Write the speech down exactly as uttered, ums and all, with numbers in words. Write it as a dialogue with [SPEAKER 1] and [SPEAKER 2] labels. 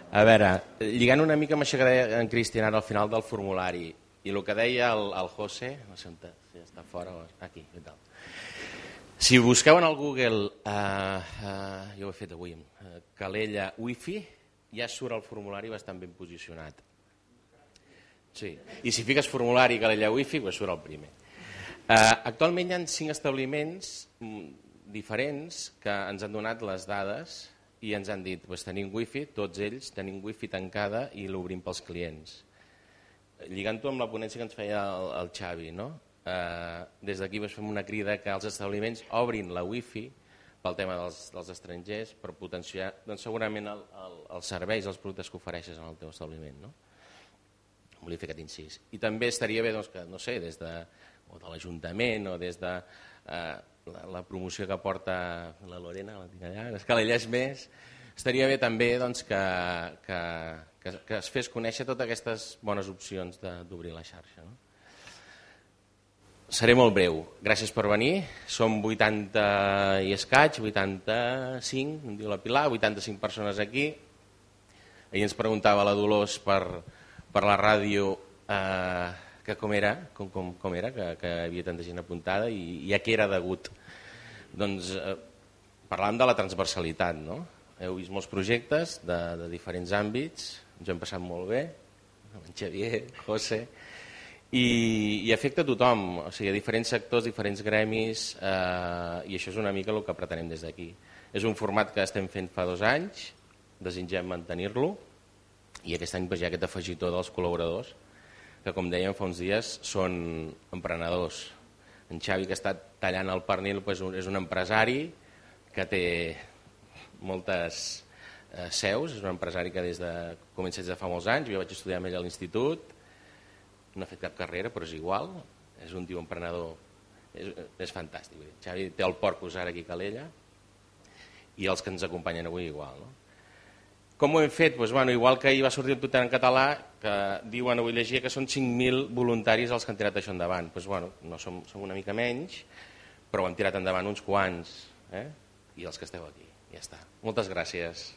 [SPEAKER 1] A veure, lligant una mica amb això que deia en Cristian ara al final del formulari i el que deia el, el José, no sé on si està fora o aquí, i tal. Si busqueu en el Google, uh, uh, jo ho he fet avui, uh, Calella Wi-Fi, ja surt el formulari bastant ben posicionat. Sí. I si fiques formulari Calella Wi-Fi, pues surt el primer. Uh, actualment hi ha cinc establiments diferents que ens han donat les dades i ens han dit, pues, tenim wifi, tots ells tenim wifi tancada i l'obrim pels clients. Lligant-ho amb la ponència que ens feia el, el Xavi, no? Uh, des d'aquí pues, fem una crida que els establiments obrin la wifi pel tema dels, dels estrangers per potenciar doncs, segurament el, el, els serveis, els productes que ofereixes en el teu establiment, no? Volia fer aquest incís. I també estaria bé doncs, que, no sé, des de, o de l'Ajuntament o des de eh, la, la promoció que porta la Lorena, la tinc allà, les Calelles Més, estaria bé també doncs, que, que, que, que es fes conèixer totes aquestes bones opcions d'obrir la xarxa. No? Seré molt breu. Gràcies per venir. Som vuitanta i escaig, vuitanta-cinc, em diu la Pilar, vuitanta-cinc persones aquí. Ahir ens preguntava la Dolors per, per la ràdio eh, que com era, com, com, com era que, que hi havia tanta gent apuntada i, i a què era degut. Doncs eh, parlàvem de la transversalitat, no? Heu vist molts projectes de, de diferents àmbits, ens ho hem passat molt bé, amb en Xavier, José, i, i afecta a tothom, o sigui, a diferents sectors, diferents gremis, eh, i això és una mica el que pretenem des d'aquí. És un format que estem fent fa dos anys, desitgem mantenir-lo, i aquest any pues, hi ha aquest afegitó dels col·laboradors, que com dèiem fa uns dies són emprenedors. En Xavi, que està tallant el pernil, pues, és un empresari que té moltes eh, seus, és un empresari que des de, comença des de fa molts anys, jo vaig estudiar amb ell a l'institut, no ha fet cap carrera, però és igual, és un tio emprenedor, és, és fantàstic. Xavi té el Porcus ara aquí a Calella i els que ens acompanyen avui igual. No? Com ho hem fet? Pues, bueno, igual que ahir va sortir el Twitter en català, que diuen, avui llegia que són cinc mil voluntaris els que han tirat això endavant. Pues, bueno, no som, som una mica menys, però ho hem tirat endavant uns quants, eh? I els que esteu aquí. Ja està. Moltes gràcies.